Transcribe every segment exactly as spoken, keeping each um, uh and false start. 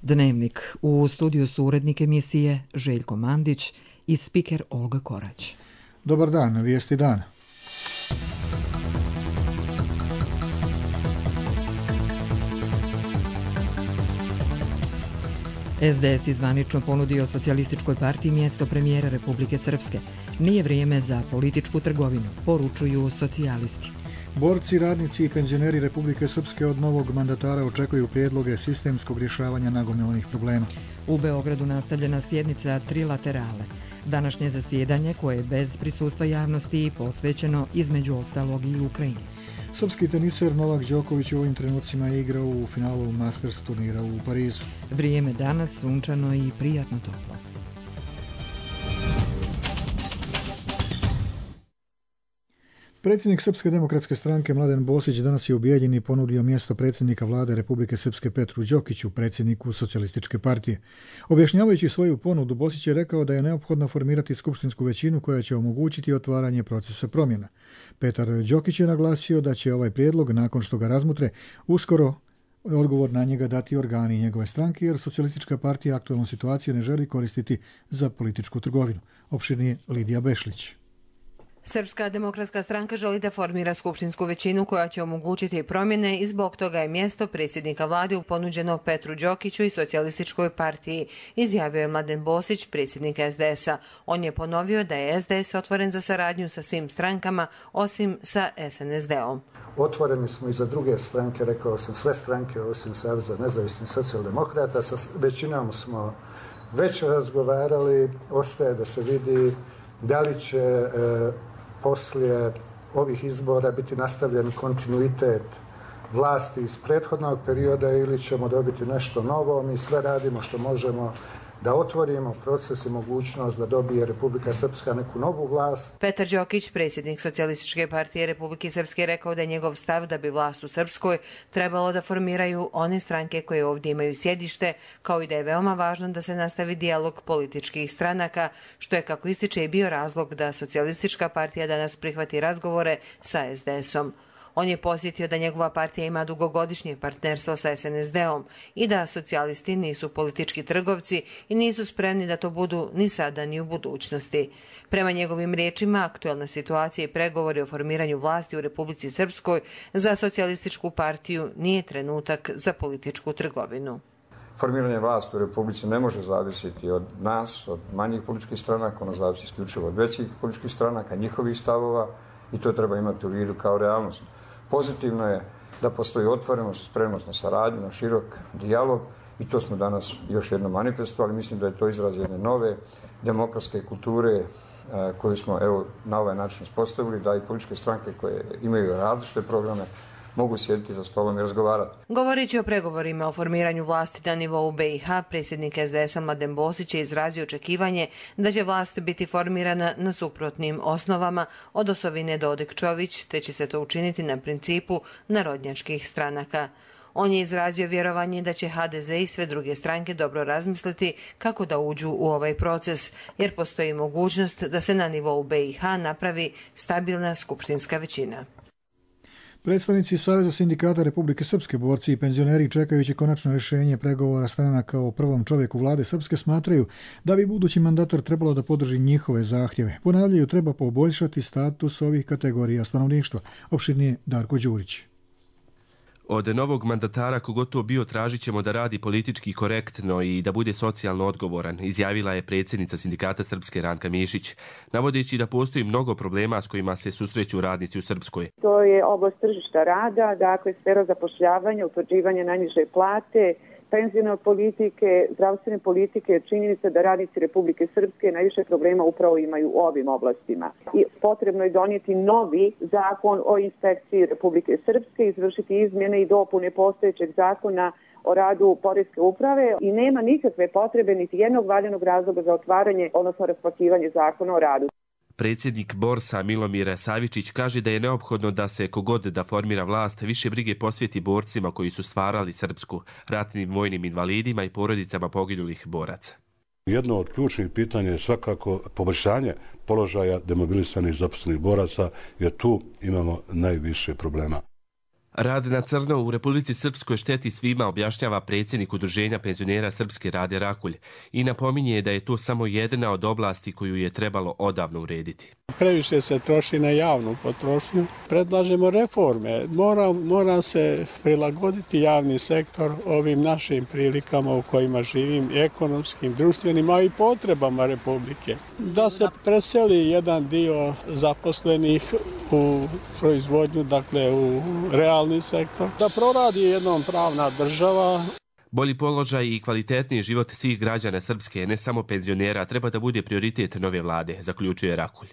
Dnevnik. U studiju su urednik emisije Željko Mandić i spiker Olga Korać. Dobar dan, vijesti dana. es de es izvanično ponudio Socijalističkoj partiji mjesto premijera Republike Srpske. Nije vrijeme za političku trgovinu, poručuju socijalisti. Borci, radnici i penzioneri Republike Srpske od novog mandatara očekuju prijedloge sistemskog rješavanja nagomilanih problema. U Beogradu nastavljena sjednica trilaterale. Današnje zasjedanje, koje je bez prisustva javnosti, posvećeno između ostalog i Ukrajini. Srpski teniser Novak Đoković u ovim trenucima je igrao u finalu Masters turnira u Parizu. Vrijeme danas sunčano i prijatno toplo. Predsjednik Srpske demokratske stranke Mladen Bosić danas je u Bijeljini ponudio mjesto predsjednika vlade Republike Srpske Petru Đokiću, predsjedniku Socijalističke partije. Objašnjavajući svoju ponudu, Bosić je rekao da je neophodno formirati skupštinsku većinu koja će omogućiti otvaranje procesa promjena. Petar Đokić je naglasio da će ovaj prijedlog, nakon što ga razmutre, uskoro odgovor na njega dati organi njegove stranke, jer Socijalistička partija aktualnu situaciju ne želi koristiti za političku trgovinu. Opširnije Lidija Bešlić. Srpska demokratska stranka želi da formira skupštinsku većinu koja će omogućiti promjene i zbog toga je mjesto predsjednika vlade ponuđeno Petru Đokiću i Socijalističkoj partiji, izjavio je Mladen Bosić, predsjednik es de es-a. On je ponovio da je es de es otvoren za saradnju sa svim strankama, osim sa es en es de-om. Otvoreni smo i za druge stranke, rekao sam, sve stranke osim Saveza nezavisnih socijaldemokrata. Sa većinom smo već razgovarali, ostaje da se vidi da li će e, poslije ovih izbora biti nastavljen kontinuitet vlasti iz prethodnog perioda ili ćemo dobiti nešto novo. Mi sve radimo što možemo da otvorimo proces i mogućnost da dobije Republika Srpska neku novu vlast. Petar Đokić, predsjednik Socijalističke partije Republike Srpske, rekao da je njegov stav da bi vlast u Srpskoj trebalo da formiraju one stranke koje ovdje imaju sjedište, kao i da je veoma važno da se nastavi dijalog političkih stranaka, što je, kako ističe, i bio razlog da Socijalistička partija danas prihvati razgovore sa es de es-om. On je posjetio da njegova partija ima dugogodišnje partnerstvo sa es en es de-om i da socijalisti nisu politički trgovci i nisu spremni da to budu ni sada ni u budućnosti. Prema njegovim riječima, aktualna situacija i pregovori o formiranju vlasti u Republici Srpskoj za Socijalističku partiju nije trenutak za političku trgovinu. Formiranje vlasti u Republici ne može zavisiti od nas, od manjih političkih stranaka, ono zavisi isključivo od većih političkih stranaka, njihovih stavova, i to treba imati u vidu kao realnost. Pozitivno je da postoji otvorenost, spremnost na saradnju, na širok dijalog i to smo danas još jednom manifestovali. Mislim da je to izraz jedne nove demokratske kulture koju smo evo na ovaj način uspostavili, da i političke stranke koje imaju različite programe mogu sjediti za stolom i razgovarati. Govoreći o pregovorima o formiranju vlasti na nivou be i ha, predsjednik es de es-a Mladen Bosić je izrazio očekivanje da će vlast biti formirana na suprotnim osnovama od Osovine Dodik-Čović, te će se to učiniti na principu narodnjačkih stranaka. On je izrazio vjerovanje da će ha de ze i sve druge stranke dobro razmisliti kako da uđu u ovaj proces, jer postoji mogućnost da se na nivou be i ha napravi stabilna skupštinska većina. Predstavnici Saveza sindikata Republike Srpske, borci i penzioneri, čekajući konačno rješenje pregovora stranaka o prvom čovjeku vlade Srpske, smatraju da bi budući mandatar trebalo da podrži njihove zahtjeve. Ponavljaju, treba poboljšati status ovih kategorija stanovništva. Opširnije Darko Đurić. Od novog mandatara, kogotovo bio, tražit ćemo da radi politički korektno i da bude socijalno odgovoran, izjavila je predsjednica sindikata Srpske Ranka Mišić, navodeći da postoji mnogo problema s kojima se susreću radnici u Srpskoj. To je oblast tržišta rada, dakle sfera zapošljavanja, utvrđivanja najniže plate, penzione politike, zdravstvene politike, činjenica da radnici Republike Srpske najviše problema upravo imaju u ovim oblastima. I potrebno je donijeti novi zakon o inspekciji Republike Srpske, izvršiti izmjene i dopune postojećeg zakona o radu poreske uprave i nema nikakve potrebe niti jednog valjanog razloga za otvaranje, odnosno raspakovanje zakona o radu. Predsjednik Borsa Milomir Savičić kaže da je neophodno da se kogod da formira vlast više brige posvijeti borcima koji su stvarali Srpsku, ratnim vojnim invalidima i porodicama poginulih boraca. Jedno od ključnih pitanja je svakako poboljšanje položaja demobilisanih zaposlenih boraca, jer tu imamo najviše problema. Rad na crno u Republici Srpskoj šteti svima, objašnjava predsjednik Udruženja penzionera Srpske Rade Rakulj i napominje da je to samo jedna od oblasti koju je trebalo odavno urediti. Previše se troši na javnu potrošnju. Predlažemo reforme. Mora, mora se prilagoditi javni sektor ovim našim prilikama u kojima živim, ekonomskim, društvenim, a i potrebama Republike. Da se preseli jedan dio zaposlenih u proizvodnju, dakle u realni sektor, da proradi jednom pravna država. Bolji položaj i kvalitetniji život svih građana Srpske, ne samo penzionera, treba da bude prioritet nove vlade, zaključuje Rakulj.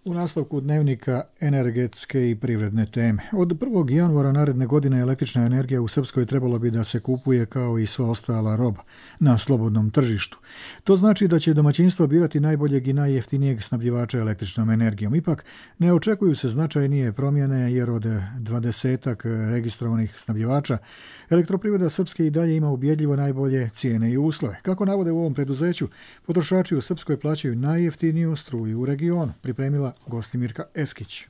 U nastavku dnevnika energetske i privredne teme. Od prvog januara naredne godine električna energija u Srpskoj trebalo bi da se kupuje kao i sva ostala roba na slobodnom tržištu. To znači da će domaćinstvo birati najboljeg i najjeftinijeg snabdjevača električnom energijom. Ipak ne očekuju se značajnije promjene jer od dvadesetak registrovanih snabdjevača Elektroprivreda Srpske i dalje ima ubjedljivo najbolje cijene i uslove. Kako navode u ovom preduzeću, potrošači u Srpskoj plaćaju najjeftiniju struju u regionu, pripremila Gostimirka Eskić.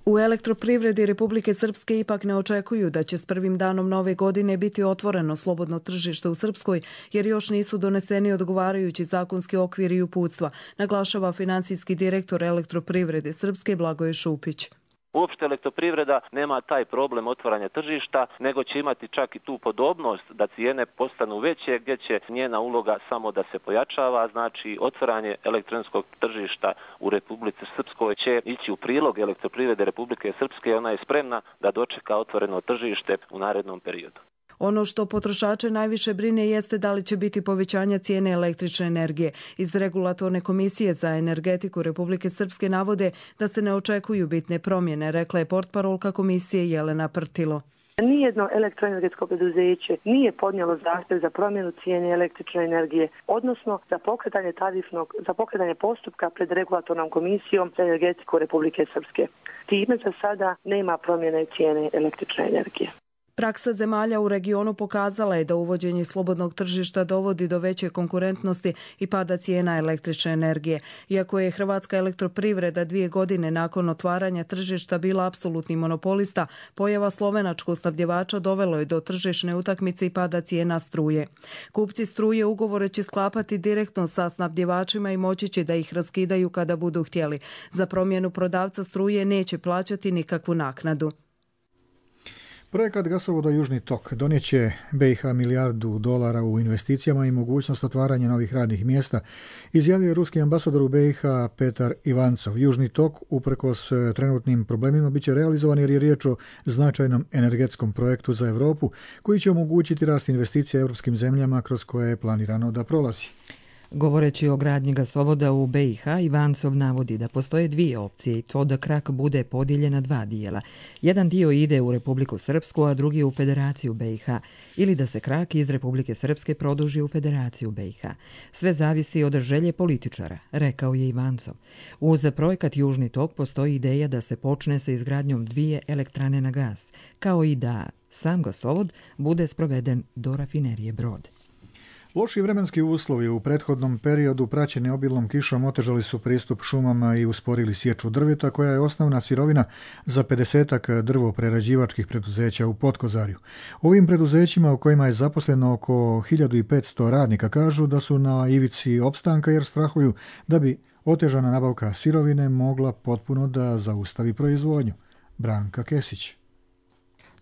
U Elektroprivredi Republike Srpske ipak ne očekuju da će s prvim danom nove godine biti otvoreno slobodno tržište u Srpskoj, jer još nisu doneseni odgovarajući zakonski okvir i uputstva, naglašava finansijski direktor Elektroprivrede Srpske Blagoje Šupić. Uopšte Elektroprivreda nema taj problem otvaranja tržišta, nego će imati čak i tu podobnost da cijene postanu veće, gdje će njena uloga samo da se pojačava. Znači, otvaranje elektronskog tržišta u Republici Srpskoj će ići u prilog Elektroprivrede Republike Srpske. Ona je spremna da dočeka otvoreno tržište u narednom periodu. Ono što potrošače najviše brine jeste da li će biti povećanja cijene električne energije. Iz Regulatorne komisije za energetiku Republike Srpske navode da se ne očekuju bitne promjene, rekla je portparolka komisije Jelena Prtilo. Nijedno elektroenergetsko preduzeće nije podnijelo zahtjev za promjenu cijene električne energije, odnosno za pokretanje tarifnog, za pokretanje postupka pred Regulatornom komisijom za energetiku Republike Srpske. Time za sada nema promjene cijene električne energije. Praksa zemalja u regionu pokazala je da uvođenje slobodnog tržišta dovodi do veće konkurentnosti i pada cijena električne energije. Iako je Hrvatska elektroprivreda dvije godine nakon otvaranja tržišta bila apsolutni monopolista, pojava slovenačkog snabdjevača dovelo je do tržišne utakmice i pada cijena struje. Kupci struje ugovore će sklapati direktno sa snabdjevačima i moći će da ih raskidaju kada budu htjeli. Za promjenu prodavca struje neće plaćati nikakvu naknadu. Projekat gasovoda Južni tok donijeće B i H milijardu dolara u investicijama i mogućnost otvaranja novih radnih mjesta, izjavio je ruski ambasador u B i H Petar Ivancov. Južni tok, uprkos trenutnim problemima, biće realizovan jer je riječ o značajnom energetskom projektu za Europu koji će omogućiti rast investicija europskim zemljama kroz koje je planirano da prolazi. Govoreći o gradnji gasovoda u B i H, Ivancov navodi da postoje dvije opcije i to da krak bude podijeljen na dva dijela. Jedan dio ide u Republiku Srpsku, a drugi u Federaciju B i H, ili da se krak iz Republike Srpske produži u Federaciju B i H. Sve zavisi od želje političara, rekao je Ivancov. Uz projekat Južni tok postoji ideja da se počne sa izgradnjom dvije elektrane na gas, kao i da sam gasovod bude sproveden do rafinerije Brod. Loši vremenski uslovi u prethodnom periodu praćeni obilnom kišom otežali su pristup šumama i usporili sječu drveta, koja je osnovna sirovina za pedesetak drvoprerađivačkih preduzeća u Potkozarju. Ovim preduzećima, u kojima je zaposleno oko hiljadu petsto radnika, kažu da su na ivici opstanka jer strahuju da bi otežana nabavka sirovine mogla potpuno da zaustavi proizvodnju. Branka Kesić.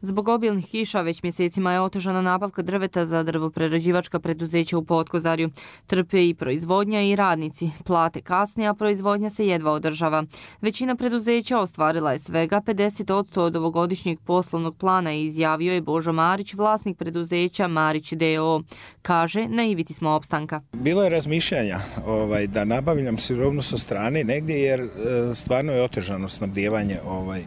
Zbog obilnih kiša već mjesecima je otežana nabavka drveta za drvoprerađivačka preduzeća u Potkozarju. Trpe i proizvodnja i radnici. Plate kasne, a proizvodnja se jedva održava. Većina preduzeća ostvarila je svega pedeset posto od ovogodišnjeg poslovnog plana, izjavio je Božo Marić, vlasnik preduzeća Marić D O O. Kaže, na ivici smo opstanka. Bilo je razmišljanja ovaj, da nabavljam sirovinu sa strane negdje jer e, stvarno je otežano snabdijevanje ovaj,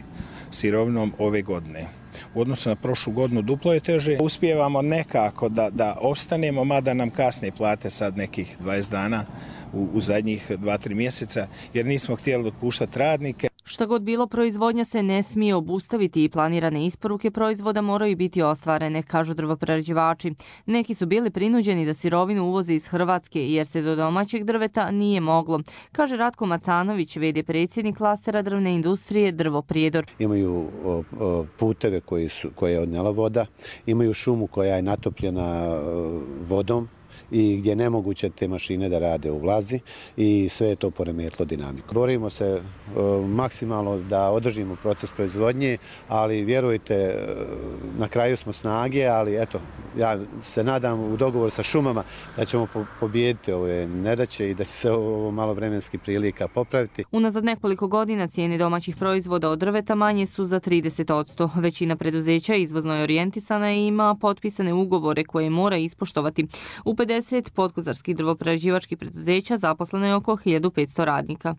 sirovinom ove godine. U odnosu na prošlu godinu duplo je teže. Uspijevamo nekako da, da ostanemo, mada nam kasne plate sad nekih dvadeset dana u, u zadnjih dva tri mjeseca, jer nismo htjeli otpuštati radnike. Šta god bilo, proizvodnja se ne smije obustaviti i planirane isporuke proizvoda moraju biti ostvarene, kažu drvoprerađivači. Neki su bili prinuđeni da sirovinu uvoze iz Hrvatske jer se do domaćeg drveta nije moglo, kaže Ratko Macanović, v d predsjednik klastera drvne industrije Drvo Prijedor. Imaju o, o, puteve koji su, koje je odnela voda, imaju šumu koja je natopljena o, vodom i gdje je nemoguće te mašine da rade u vlazi i sve je to poremetilo dinamiku. Borimo se o, maksimalno da održimo proces proizvodnje, ali vjerujte, na kraju smo snage, ali eto, ja se nadam u dogovoru sa šumama da ćemo po, pobijediti ove nedaće i da će se ovo malo vremenski prilika popraviti. Unazad nekoliko godina cijene domaćih proizvoda od drveta manje su za trideset posto. Većina preduzeća izvozno je orijentisana i ima potpisane ugovore koje mora ispoštovati. U pedeset podkozarskih drvoprerađivačkih preduzeća zaposleno je oko hiljadu petsto radnika.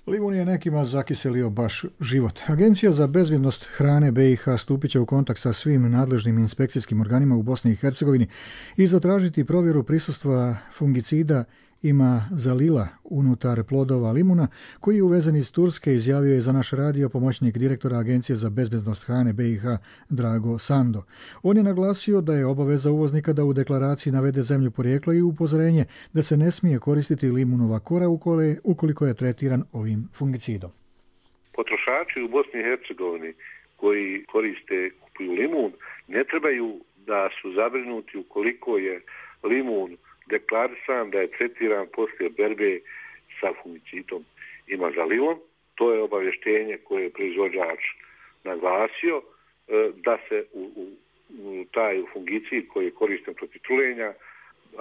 Limun je nekima zakiselio baš život. Agencija za bezbjednost hrane B i H stupit će u kontakt sa svim nadležnim inspekcijskim organima u Bosni i Hercegovini i zatražiti provjeru prisustva fungicida imazalila unutar plodova limuna, koji je uvezen iz Turske, izjavio je za naš radio pomoćnik direktora Agencije za bezbjednost hrane B i H Drago Sando. On je naglasio da je obaveza uvoznika da u deklaraciji navede zemlju porijekla i upozorenje da se ne smije koristiti limunova kora ukoliko je tretiran ovim fungicidom. Potrošači u Bosni i Hercegovini koji koriste, kupuju limun, ne trebaju da su zabrinuti ukoliko je limun deklarisan da je tretiran poslije berbe sa fungicidom imazalilom. To je obavještenje koje je proizvođač naglasio, da se u, u, u taj fungicid koji je koristen protiv trulenja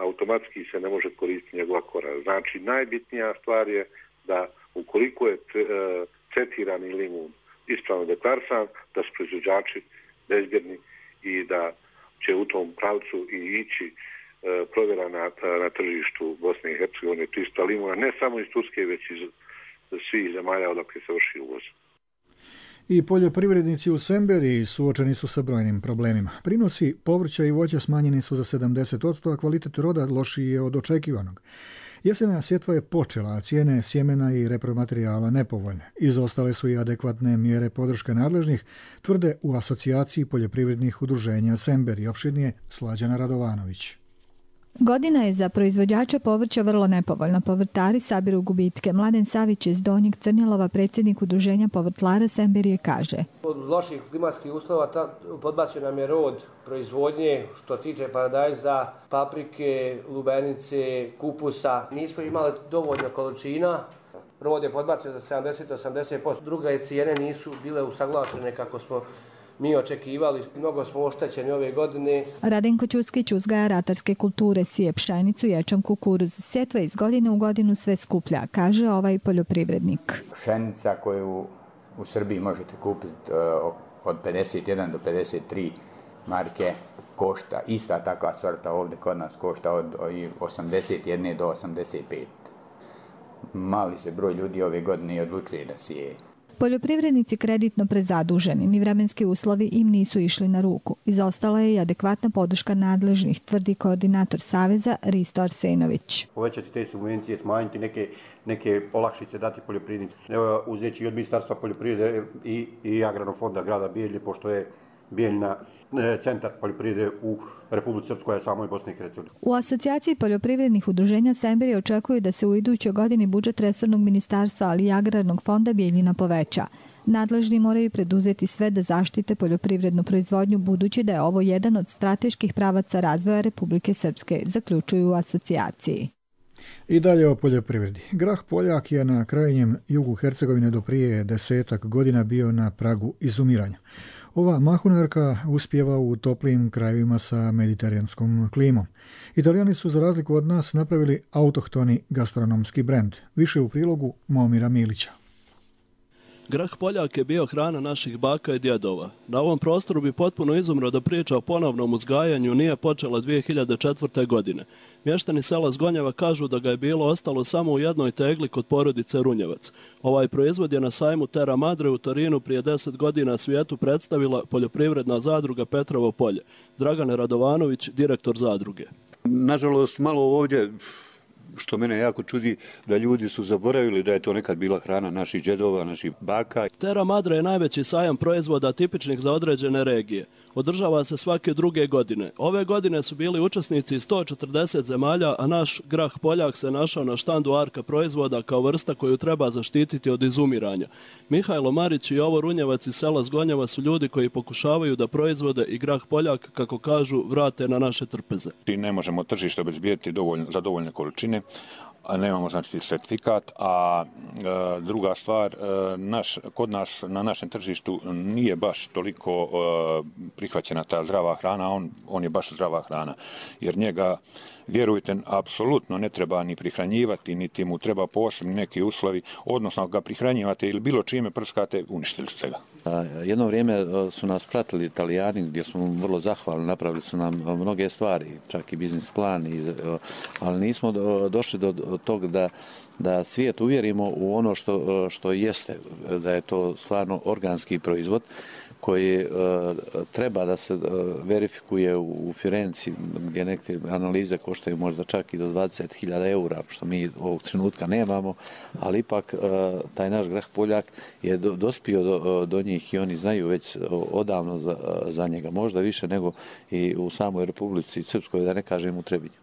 automatski se ne može koristiti njegova kora. Znači, najbitnija stvar je da ukoliko je tretirani limun ispravno deklarisan, da su proizvođači bezbjedni i da će u tom pravcu i ići provjera na, na tržištu Bosne i Hercegovine čista limuna, ne samo iz Turske, već iz svih zemalja odakle se vrši uvoz. I poljoprivrednici u Semberiji suočeni su sa brojnim problemima. Prinosi povrća i voća smanjeni su za sedamdeset posto, a kvalitet roda lošiji je od očekivanog. Jesena sjetva je počela, a cijene sjemena i repromaterijala nepovoljne. Izostale su i adekvatne mjere podrške nadležnih, tvrde u asocijaciji poljoprivrednih udruženja Semberi, opširnije Slađana Radovanović. Godina je za proizvođače povrća vrlo nepovoljna. Povrtari sabiru gubitke. Mladen Savić iz Donjeg Crnjelova, predsjednik udruženja povrtlara Semberije, kaže: Od loših klimatskih uslova podbacio nam je rod proizvodnje što tiče paradajza, paprike, lubenice, kupusa. Nismo imali dovoljno količina. Rod je podbacio za sedamdeset do osamdeset posto. Druge cijene nisu bile usaglašene kako smo mi očekivali. Mnogo smo oštećeni ove godine. Radenko Ćuskić uzgaja ratarske kulture, sije pšenicu, ječam, kukuruz. Sjetva iz godine u godinu sve skuplja, kaže ovaj poljoprivrednik. Pšenica koju u Srbiji možete kupiti od pedeset jedan do pedeset tri marke košta. Ista takva sorta ovdje kod nas košta od osamdeset jedan do osamdeset pet. Mali se broj ljudi ove godine odlučuje da sije. Poljoprivrednici kreditno prezaduženi, ni vremenski uslovi im nisu išli na ruku. Izostala je i adekvatna podrška nadležnih, tvrdi koordinator Saveza Risto Arsenović. Povećati te subvencije, smanjiti neke, neke olakšice, dati poljoprivrednici. Evo, uzeći i od Ministarstva poljoprivrede i, i Agrarnog fonda grada Bijeljine, pošto je Bijeljina centar poljoprivrede u Republici Srpskoj, a samoj Bosni i Hercegovini. U asocijaciji poljoprivrednih udruženja Semberi očekuju da se u idućoj godini budžet resornog ministarstva, ali i Agrarnog fonda Bijeljina poveća. Nadležni moraju preduzeti sve da zaštite poljoprivrednu proizvodnju, budući da je ovo jedan od strateških pravaca razvoja Republike Srpske, zaključuju u asocijaciji. I dalje o poljoprivredi. Grah Poljak je na krajnjem jugu Hercegovine do prije desetak godina bio na pragu izumiranja. Ova mahunarka uspjeva u toplim krajevima sa mediteranskom klimom. Italijani su za razliku od nas napravili autohtoni gastronomski brend. Više u prilogu Momira Milića. Grah Poljak je bio hrana naših baka i djedova. Na ovom prostoru bi potpuno izumro da priča o ponovnom uzgajanju nije počela dvije hiljade četvrte. godine. Mještani sela Zgonjeva kažu da ga je bilo ostalo samo u jednoj tegli kod porodice Runjevac. Ovaj proizvod je na sajmu Terra Madre u Torinu prije deset godina svijetu predstavila poljoprivredna zadruga Petrovo polje. Dragan Radovanović, direktor zadruge. Nažalost, malo ovdje što mene jako čudi, da ljudi su zaboravili da je to nekad bila hrana naših džedova, naših baka. Terra Madre je najveći sajam proizvoda tipičnih za određene regije. Održava se svake druge godine. Ove godine su bili učesnici iz sto četrdeset zemalja, a naš grah Poljak se našao na štandu Arka proizvoda kao vrsta koju treba zaštititi od izumiranja. Mihajlo Marić i Jovo Runjevac iz sela Zgonjeva su ljudi koji pokušavaju da proizvode i grah Poljak, kako kažu, vrate na naše trpeze. Ne možemo tržište obezbijeti dovoljno, za dovoljne količine, a nemamo znači certifikat, a e, druga stvar, e, naš, kod nas na našem tržištu nije baš toliko e, prihvaćena ta zdrava hrana, on, on je baš zdrava hrana, jer njega, vjerujte, apsolutno ne treba ni prihranjivati, niti mu treba posebni neki uslovi, odnosno ako ga prihranjivate ili bilo čime prskate, uništili ste ga. Jedno vrijeme su nas pratili Italijani, gdje smo vrlo zahvalni, napravili su nam mnoge stvari, čak i biznis plan, i, ali nismo došli do tog da, da svijet uvjerimo u ono što, što jeste, da je to stvarno organski proizvod koji uh, treba da se uh, verifikuje u, u Firenci, gdje neke analize koštaju možda čak i do dvadeset hiljada eura, što mi ovog trenutka nemamo, ali ipak uh, taj naš grah Poljak je do, dospio do, do njih i oni znaju već odavno za, za njega, možda više nego i u samoj Republici Srpskoj, da ne kažem u Trebinju.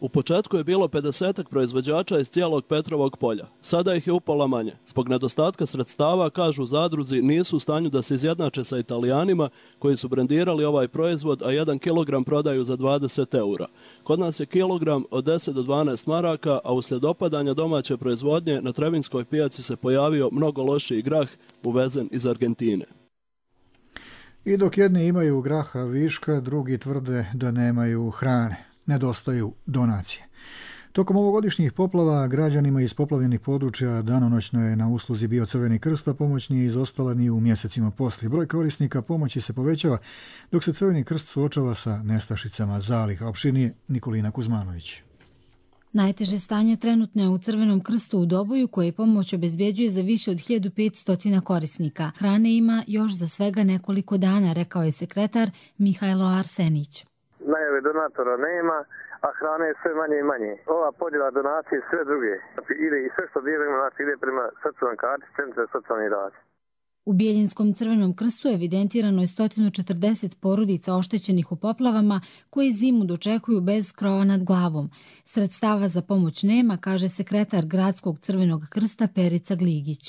U početku je bilo pedesetak proizvođača iz cijelog Petrovog polja. Sada ih je upola manje. Zbog nedostatka sredstava, kažu zadruzi, nisu u stanju da se izjednače sa Italijanima koji su brendirali ovaj proizvod, a jedan kilogram prodaju za dvadeset eura. Kod nas je kilogram od deset do dvanaest maraka, a uslijed opadanja domaće proizvodnje na Trebinskoj pijaci se pojavio mnogo lošiji grah uvezen iz Argentine. I dok jedni imaju graha viška, drugi tvrde da nemaju hrane. Nedostaju donacije. Tokom ovogodišnjih poplava građanima iz poplavljenih područja danonoćno je na usluzi bio Crveni krst, a pomoć nije izostala ni u mjesecima poslije. Broj korisnika pomoći se povećava, dok se Crveni krst suočava sa nestašicama zaliha. Opširnije Nikolina Kuzmanović. Najteže stanje trenutno je u Crvenom krstu u Doboju, koje pomoć obezbjeđuje za više od hiljadu petsto korisnika. Hrane ima još za svega nekoliko dana, rekao je sekretar Mihajlo Arsenić. Najave donatora nema, a hrane je sve manje i manje. Ova podjela donacije i sve druge. Ide i sve što dijelimo, znači ide prema socijalnoj karti Centra za socijalni rad. U Bijeljinskom Crvenom krstu evidentirano je sto četrdeset porodica oštećenih u poplavama koje zimu dočekuju bez krova nad glavom. Sredstava za pomoć nema, kaže sekretar Gradskog Crvenog krsta Perica Gligić.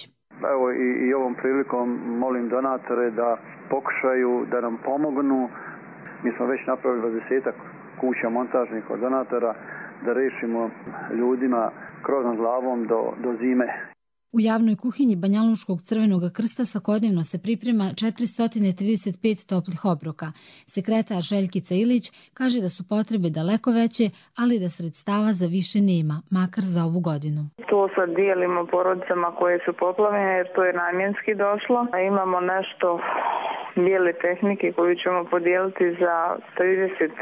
Evo i, i ovom prilikom molim donatore da pokušaju da nam pomognu. Mi smo već napravili dvadesetak kuća montažnih od donatora da rešimo ljudima krov nad glavom do, do zime. U javnoj kuhinji Banjaluškog Crvenog krsta svakodnevno se priprema četiristo trideset pet toplih obroka. Sekretar Željkica Ilić kaže da su potrebe daleko veće, ali da sredstava za više nema, makar za ovu godinu. To sad dijelimo porodicama koje su poplavljene jer to je namjenski došlo. A imamo nešto bijele tehnike koju ćemo podijeliti za trideset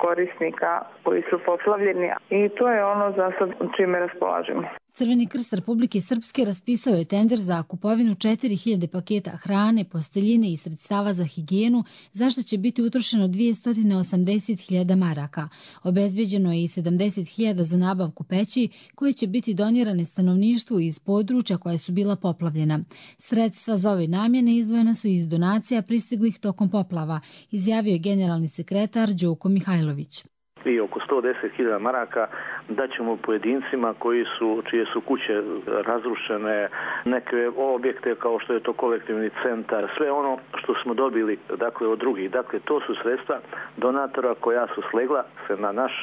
korisnika koji su poplavljeni i to je ono za sad čime raspolažemo. Crveni krst Republike Srpske raspisao je tender za kupovinu četiri hiljade paketa hrane, posteljine i sredstava za higijenu, za što će biti utrošeno dvjesto osamdeset hiljada maraka. Obezbeđeno je i sedamdeset hiljada za nabavku peći, koje će biti donirane stanovništvu iz područja koja su bila poplavljena. Sredstva za ove namjene izdvojena su iz donacija pristiglih tokom poplava, izjavio je generalni sekretar Đoko Mihajlović. I oko sto deset hiljada maraka daćemo pojedincima koji su, čije su kuće razrušene, neke objekte kao što je to kolektivni centar, sve ono što smo dobili dakle od drugih. Dakle, to su sredstva donatora koja su slegla se na naš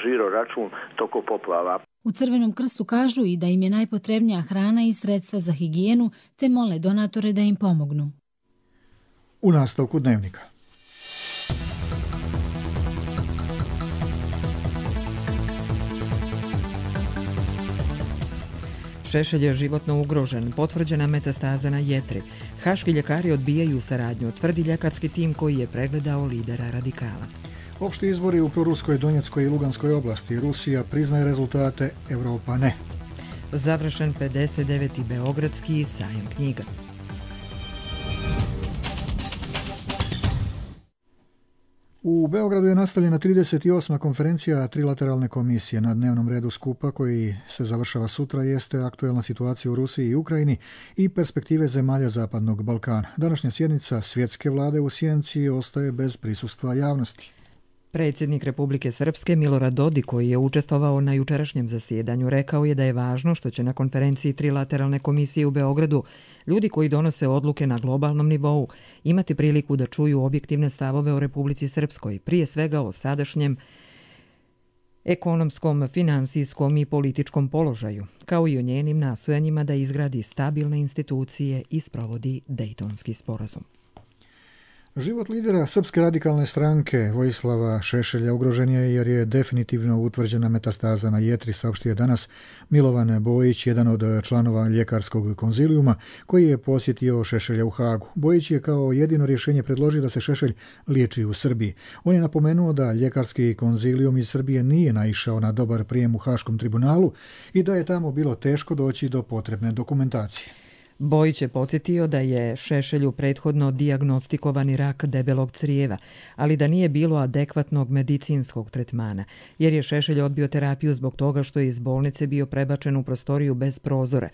žiro račun toko poplava. U Crvenom krstu kažu i da im je najpotrebnija hrana i sredstva za higijenu, te mole donatore da im pomognu. U nastavku dnevnika. Šešelj je životno ugrožen, potvrđena metastaza na jetri. Haški ljekari odbijaju saradnju, tvrdi ljekarski tim koji je pregledao lidera radikala. Opšti izbori u proruskoj Donjeckoj i Luganskoj oblasti. Rusija priznaje rezultate, Evropa ne. Završen pedeset deveti Beogradski sajam knjiga. U Beogradu je nastavljena trideset osma konferencija trilateralne komisije. Na dnevnom redu skupa koji se završava sutra jeste aktuelna situacija u Rusiji i Ukrajini i perspektive zemalja Zapadnog Balkana. Današnja sjednica svjetske vlade u sjenci ostaje bez prisustva javnosti. Predsjednik Republike Srpske Milorad Dodik, koji je učestvovao na jučerašnjem zasjedanju, rekao je da je važno što će na konferenciji trilateralne komisije u Beogradu ljudi koji donose odluke na globalnom nivou imati priliku da čuju objektivne stavove o Republici Srpskoj, prije svega o sadašnjem ekonomskom, finansijskom i političkom položaju, kao i o njenim nastojanjima da izgradi stabilne institucije i sprovodi Dejtonski sporazum. Život lidera Srpske radikalne stranke Vojislava Šešelja ugrožen je jer je definitivno utvrđena metastaza na jetri, saopštio je danas Milovan Bojić, jedan od članova ljekarskog konzilijuma koji je posjetio Šešelja u Hagu. Bojić je kao jedino rješenje predložio da se Šešelj liječi u Srbiji. On je napomenuo da ljekarski konzilijum iz Srbije nije naišao na dobar prijem u Haškom tribunalu i da je tamo bilo teško doći do potrebne dokumentacije. Bojić je podsjetio da je Šešelju prethodno dijagnostikovani rak debelog crijeva, ali da nije bilo adekvatnog medicinskog tretmana, jer je Šešelj odbio terapiju zbog toga što je iz bolnice bio prebačen u prostoriju bez prozora.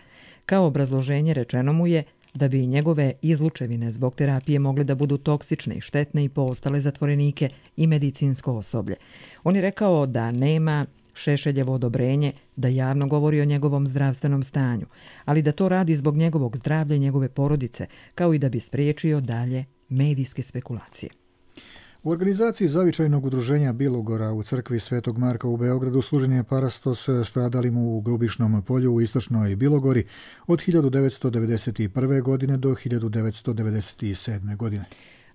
Kao obrazloženje rečeno mu je da bi njegove izlučevine zbog terapije mogle da budu toksične i štetne i po ostale zatvorenike i medicinsko osoblje. On je rekao da nema Šešeljevo odobrenje da javno govori o njegovom zdravstvenom stanju, ali da to radi zbog njegovog zdravlja i njegove porodice, kao i da bi spriječio dalje medijske spekulacije. U organizaciji zavičajnog udruženja Bilogora u crkvi Svetog Marka u Beogradu služen je parastos stradalim u Grubišnom polju u istočnoj Bilogori od hiljadu devetsto devedeset prve. godine do hiljadu devetsto devedeset sedme. godine.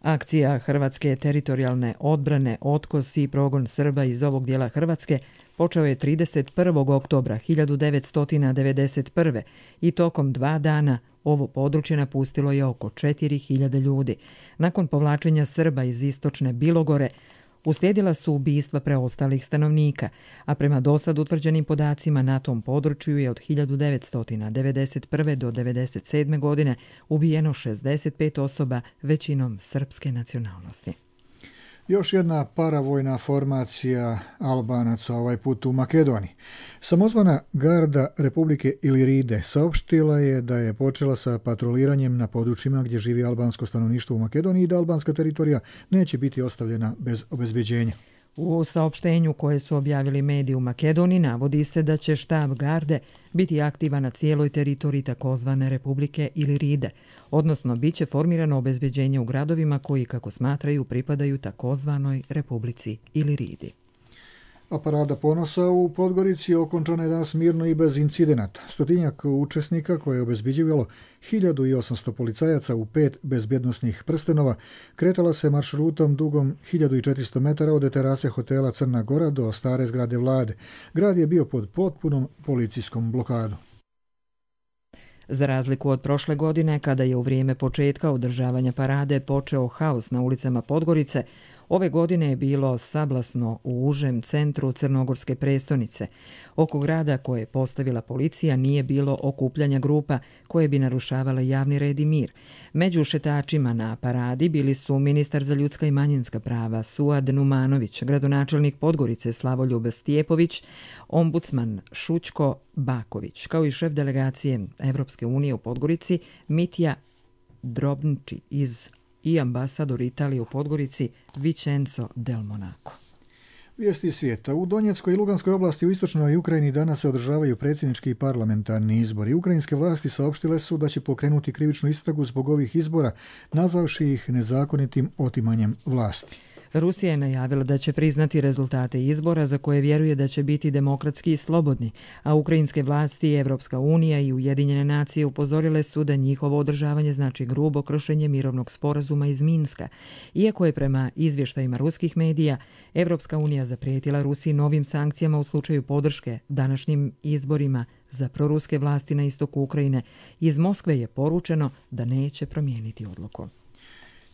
Akcija Hrvatske teritorijalne odbrane Otkos i progon Srba iz ovog dijela Hrvatske počeo je trideset prvog oktobra hiljadu devetsto devedeset prve. i tokom dva dana ovo područje napustilo je oko četiri hiljade ljudi. Nakon povlačenja Srba iz istočne Bilogore uslijedila su ubistva preostalih stanovnika, a prema dosad utvrđenim podacima na tom području je od hiljadu devetsto devedeset prve. do devedeset sedme. godine ubijeno šezdeset pet osoba, većinom srpske nacionalnosti. Još jedna paravojna formacija Albanaca, ovaj put u Makedoniji. Samozvana garda Republike Iliride saopštila je da je počela sa patroliranjem na područjima gdje živi albansko stanovništvo u Makedoniji i da albanska teritorija neće biti ostavljena bez obezbeđenja. U saopštenju koje su objavili mediji u Makedoniji navodi se da će štab garde biti aktivan na cijeloj teritoriji takozvane Republike Iliride, odnosno bit će formirano obezbeđenje u gradovima koji, kako smatraju, pripadaju takozvanoj Republici Iliridi. A parada ponosa u Podgorici okončana je danas mirno i bez incidenata. Stotinjak učesnika koje je obezbeđivalo hiljadu osamsto policajaca u pet bezbjednosnih prstenova kretala se maršrutom dugom hiljadu četiristo metara od terase hotela Crna Gora do stare zgrade vlade. Grad je bio pod potpunom policijskom blokadom. Za razliku od prošle godine, kada je u vrijeme početka održavanja parade počeo haos na ulicama Podgorice, ove godine je bilo sablasno u užem centru crnogorske prestonice. Oko grada koje je postavila policija nije bilo okupljanja grupa koje bi narušavale javni red i mir. Među šetačima na paradi bili su ministar za ljudska i manjinska prava Suad Numanović, gradonačelnik Podgorice Slavoljub Stjepović, ombudsman Šućko Baković, kao i šef delegacije Evropske unije u Podgorici Mitja Drobniči iz i ambasador Italije u Podgorici Vincenzo Del Monaco. Vijesti svijeta. U Donjeckoj i Luganskoj oblasti u istočnoj Ukrajini danas se održavaju predsjednički i parlamentarni izbori. Ukrajinske vlasti saopštile su da će pokrenuti krivičnu istragu zbog ovih izbora, nazvavši ih nezakonitim otimanjem vlasti. Rusija je najavila da će priznati rezultate izbora za koje vjeruje da će biti demokratski i slobodni, a ukrajinske vlasti, Evropska unija i Ujedinjene nacije upozorile su da njihovo održavanje znači grubo kršenje mirovnog sporazuma iz Minska. Iako je prema izvještajima ruskih medija Evropska unija zaprijetila Rusiji novim sankcijama u slučaju podrške današnjim izborima za proruske vlasti na istoku Ukrajine, iz Moskve je poručeno da neće promijeniti odluku.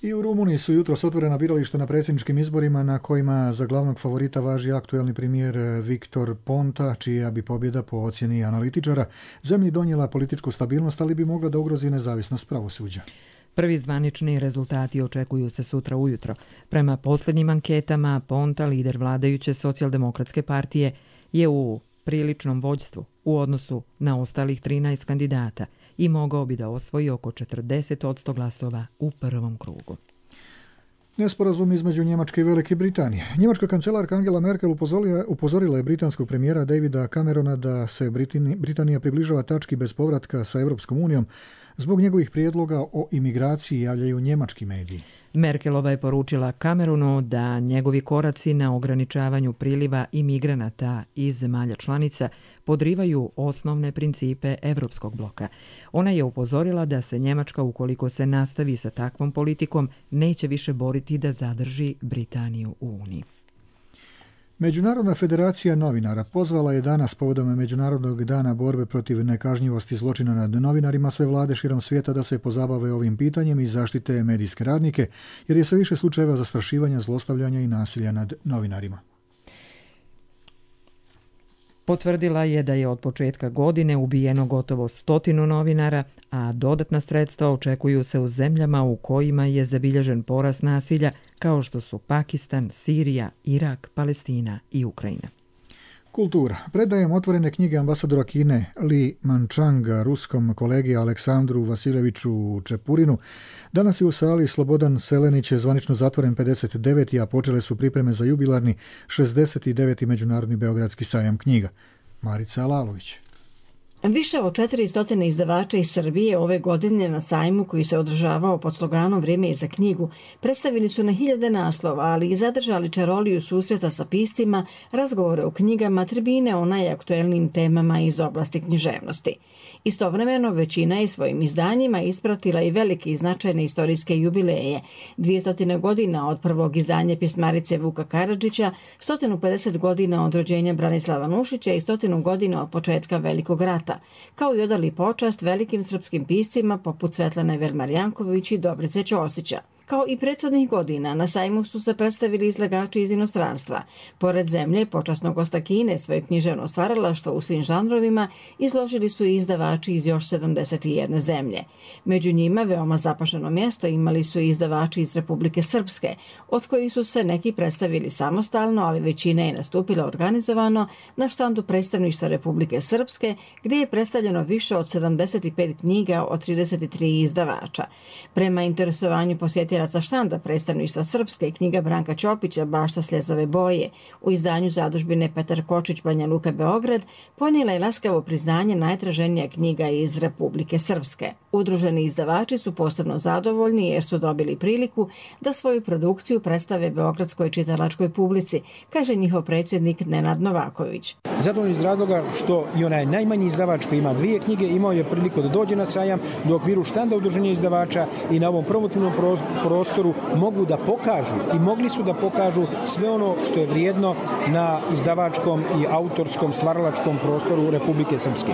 I u Rumuniji su jutros otvorena birališta na predsjedničkim izborima na kojima za glavnog favorita važi aktuelni premijer Viktor Ponta, čija bi pobjeda po ocjeni analitičara zemlji donijela političku stabilnost, ali bi mogla da ugrozi nezavisnost pravosuđa. Prvi zvanični rezultati očekuju se sutra ujutro. Prema posljednjim anketama, Ponta, lider vladajuće socijaldemokratske partije, je u priličnom vođstvu u odnosu na ostalih trinaest kandidata i mogao bi da osvoji oko četrdeset posto glasova u prvom krugu. Nesporazum između Njemačke i Velike Britanije. Njemačka kancelarka Angela Merkel upozorila, upozorila je britanskog premijera Davida Camerona da se Britini, Britanija približava tački bez povratka sa Europskom unijom zbog njegovih prijedloga o imigraciji, javljaju njemački mediji. Merkelova je poručila Cameronu da njegovi koraci na ograničavanju priliva imigranata iz zemalja članica podrivaju osnovne principe Evropskog bloka. Ona je upozorila da se Njemačka, ukoliko se nastavi sa takvom politikom, neće više boriti da zadrži Britaniju u Uniji. Međunarodna federacija novinara pozvala je danas povodom Međunarodnog dana borbe protiv nekažnjivosti zločina nad novinarima sve vlade širom svijeta da se pozabave ovim pitanjem i zaštite medijske radnike, jer je sve više slučajeva zastrašivanja, zlostavljanja i nasilja nad novinarima. Potvrdila je da je od početka godine ubijeno gotovo stotinu novinara, a dodatna sredstva očekuju se u zemljama u kojima je zabilježen porast nasilja, kao što su Pakistan, Sirija, Irak, Palestina i Ukrajina. Kultura. Predajem otvorene knjige ambasadora Kine Li Manchanga ruskom kolegi Aleksandru Vasiljeviću Čepurinu. Danas je u sali Slobodan Selenić zvanično zatvoren pedeset deveti, a počele su pripreme za jubilarni šezdeset deveti Međunarodni beogradski sajam knjiga. Marica Alalović. Više od četiristo izdavača iz Srbije ove godine na sajmu koji se održavao pod sloganom Vrijeme je za knjigu predstavili su na hiljade naslova, ali i zadržali čaroliju susreta sa piscima, razgovore o knjigama, tribine o najaktuelnijim temama iz oblasti književnosti. Istovremeno, većina je svojim izdanjima ispratila i velike i značajne istorijske jubileje. dvjesto godina od prvog izdanja pjesmarice Vuka Karadžića, sto pedeset godina od rođenja Branislava Nušića i sto godina od početka Velikog rata, kao i odali počast velikim srpskim piscima poput Svetlane Vermarjanković i Dobrice Ćosića. Kao i prethodnih godina, na sajmu su se predstavili izlagači iz inostranstva. Pored zemlje, počasnog gosta Kine, svoje književno stvaralaštvo u svim žanrovima izložili su i izdavači iz još sedamdeset jedne zemlje. Među njima veoma zapaženo mjesto imali su i izdavači iz Republike Srpske, od kojih su se neki predstavili samostalno, ali većina je nastupila organizovano na štandu predstavništva Republike Srpske, gdje je predstavljeno više od sedamdeset pet knjiga od trideset tri izdavača. Prema interesovanju posjetila sa štanda predstavništva Srpske i knjiga Branka Ćopića Bašta sljezove boje u izdanju zadužbine Petar Kočić Banja Luka Beograd ponijela je laskavo priznanje najtraženija knjiga iz Republike Srpske. Udruženi izdavači su posebno zadovoljni jer su dobili priliku da svoju produkciju predstave beogradskoj čitalačkoj publici, kaže njihov predsjednik Nenad Novaković. Zadovoljni iz razloga što i onaj najmanji izdavač koji ima dvije knjige imao je priliku da dođe na sajam do okviru štanda udruženja izdavača i na ovom promotivnom prostoru mogu da pokažu i mogli su da pokažu sve ono što je vrijedno na izdavačkom i autorskom stvaralačkom prostoru Republike Srpske.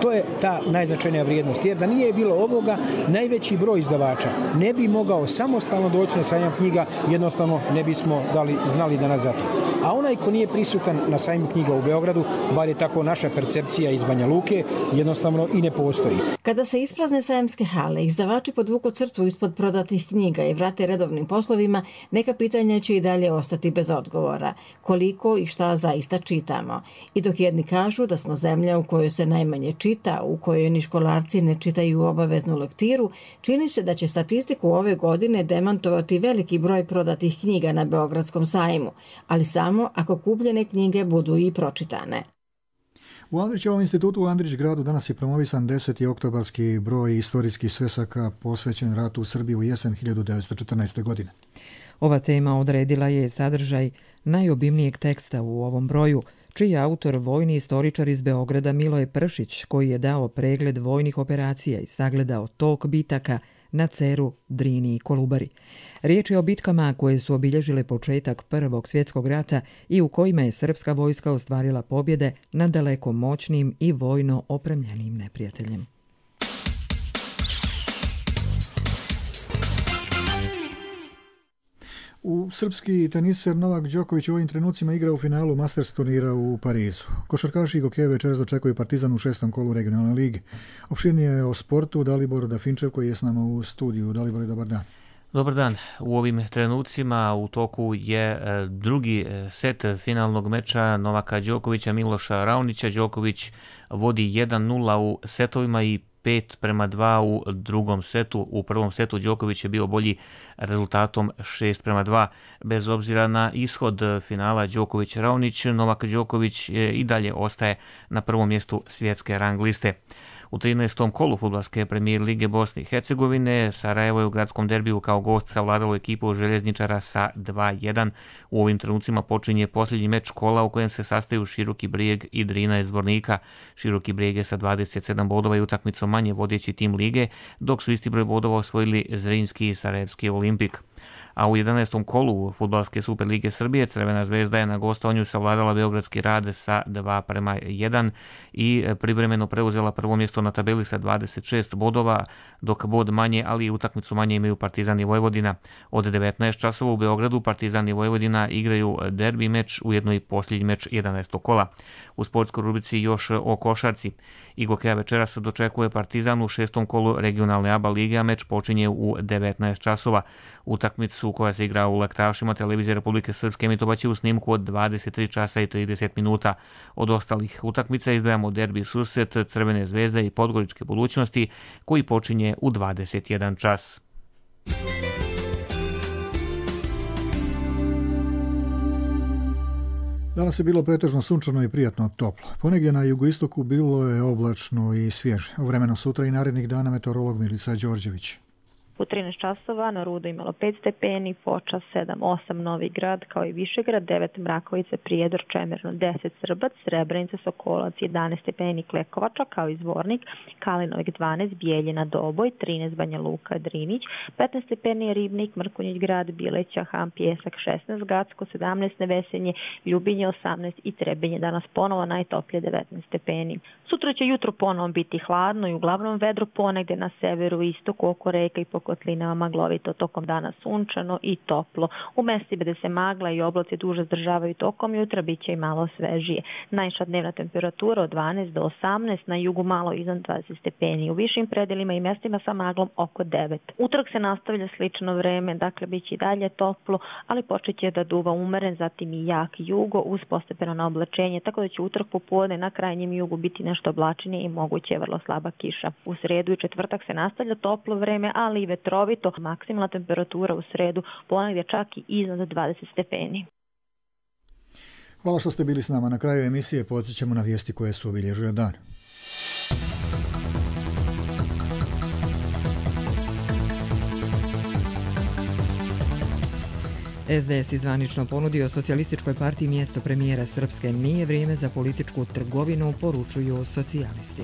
To je ta najznačajnija vrijednost, jer da nije bilo ovoga, najveći broj izdavača ne bi mogao samostalno doći na sajam knjiga, jednostavno ne bismo dali, znali da nas zato. A onaj ko nije prisutan na sajmu knjiga u Beogradu, bar je tako naša percepcija iz Banja Luke, jednostavno i ne postoji. Kada se isprazne sajamske hale, izdavači podvuku crtu ispod prodatih knjiga i vrate redovnim poslovima, neka pitanja će i dalje ostati bez odgovora. Koliko i šta zaista čitamo. I dok jedni kažu da smo zemlja u kojoj se najmanje čita, u kojoj ni školarci ne čitaju obaveznu lektiru, čini se da će statistiku ove godine demantovati veliki broj prodatih knjiga na Beogradskom sajmu, ali samo ako kupljene knjige budu i pročitane. U Andrićevom institutu u Andrić gradu danas je promovisan deseti oktobarski broj istorijskih svesaka posvećen ratu u Srbiji u jesen hiljadu devetsto četrnaeste. godine. Ova tema odredila je sadržaj najobimnijeg teksta u ovom broju, čiji je autor vojni istoričar iz Beograda Miloje Pršić, koji je dao pregled vojnih operacija i sagledao tok bitaka na Ceru, Drini i Kolubari. Riječ je o bitkama koje su obilježile početak Prvog svjetskog rata i u kojima je srpska vojska ostvarila pobjede nad daleko moćnim i vojno opremljenim neprijateljem. U srpski teniser Novak Đoković u ovim trenucima igra u finalu Masters turnira u Parizu. Košarkaši Gokeje večeras dočekuju Partizan u šestom kolu regionalne lige. Opširnije o sportu Dalibor Dafinčev koji je s nama u studiju. Dalibor, dobar dan. Dobar dan. U ovim trenucima u toku je drugi set finalnog meča Novaka Đokovića, Miloša Raonića. Đoković vodi jedan nula u setovima i pet prema dva u drugom setu. U prvom setu Đoković je bio bolji rezultatom šest prema dva. Bez obzira na ishod finala Đoković-Raonić, Novak Đoković i dalje ostaje na prvom mjestu svjetske rang liste. U trinaestom kolu fudbalske premijer lige Bosne i Hercegovine Sarajevo je u gradskom derbiju kao gost savladalo ekipu željezničara sa dva jedan. U ovim trenucima počinje posljednji meč kola u kojem se sastaju Široki Brijeg i Drina iz Zvornika. Široki Brijeg je sa dvadeset sedam bodova i utakmicom manje vodeći tim lige, dok su isti broj bodova osvojili Zrinski i Sarajevski Olimpik. A u jedanaestom kolu fudbalske Super lige Srbije Crvena zvezda je na gostovanju savladala Beogradski Rad sa dva prema jedan i privremeno preuzela prvo mjesto na tabeli sa dvadeset šest bodova, dok bod manje, ali i utakmicu manje imaju Partizan i Vojvodina. Od devetnaest časova u Beogradu Partizan i Vojvodina igraju derbi meč, ujedno i posljednji meč jedanaestog kola. U sportskoj rubrici još o košarci. Gokeja večeras dočekuje Partizan u šestom kolu regionalne A B A lige, a meč počinje u devetnaest časova. Utakmicu koja se igra u Laktašima televizije Republike Srpske emitovaće u snimku od dvadeset tri časa i trideset minuta. Od ostalih utakmica izdvajamo derbi susret Crvene zvezde i Podgoričke budućnosti koji počinje u dvadeset jedan čas. Danas je bilo pretežno sunčano i prijatno toplo. Ponegdje na jugoistoku bilo je oblačno i svježe. Vremeno sutra i narednih dana meteorolog Milica Đorđević. U trinaest časova na Rudu imalo pet stepeni, Počas sedam osam, Novi Grad kao i Višegrad devet, Mrakovica, Prijedor, Čemerno deset, Srbac, Srebrenica, Sokolac jedanaest stepeni, Klekovača kao i Zvornik, Kalinovik dvanaest, Bijeljina, Doboj trinaest, Banja Luka, Drinić, petnaest stepeni, Ribnik, Mrkonjić Grad, Bileća, Ham, Pjesak šesnaest, Gacko sedamnaest, Nevesenje, Ljubinje osamnaest i Trebinje. Danas ponovo najtoplije devetnaest stepeni. Sutra će jutro ponovo biti hladno i uglavnom vedro, ponegde na severu, istoku, oko reka i po kotlinama maglovito, tokom dana sunčano i toplo. U mesti gde se magla i oblaci duže zdržavaju tokom jutra bit će i malo svežije. Najviša dnevna temperatura od dvanaest do osamnaest, na jugu malo iznad dvadeset stepeni, u višim predelima i mestima sa maglom oko devet. Utorak se nastavlja slično vreme, dakle bit će i dalje toplo, ali počet će da duva umeren, zatim i jak jugo uz postepeno na oblačenje, tako da će utorak popodne na krajnjem jugu biti nešto oblačnije i moguće je vrlo slaba kiša. U sredu i četvrtak se nastavlja toplo vreme, ali i vetrovito. Maksimalna temperatura u sredu ponegdje čak i iznad dvadeset stepeni. Hvala što ste bili s nama. Na kraju emisije podsjećamo na vijesti koje su obilježile dan. S D S izvanično ponudio Socijalističkoj partiji mjesto premijera Srpske. Nije vrijeme za političku trgovinu, poručuju socijalisti.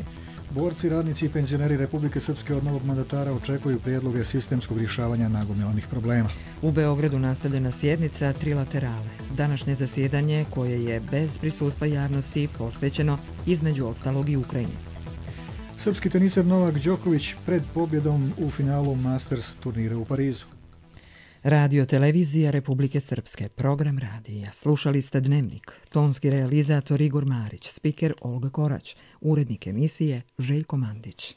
Borci, radnici i penzioneri Republike Srpske od novog mandatara očekuju prijedloge sistemskog rješavanja nagomilanih problema. U Beogradu nastavljena sjednica trilaterale. Današnje zasjedanje, koje je bez prisustva javnosti, posvećeno između ostalog i Ukrajini. Srpski teniser Novak Đoković pred pobjedom u finalu Masters turnira u Parizu. Radio televizija Republike Srpske, program radija. Slušali ste Dnevnik, tonski realizator Igor Marić, spiker Olga Korać, urednik emisije Željko Mandić.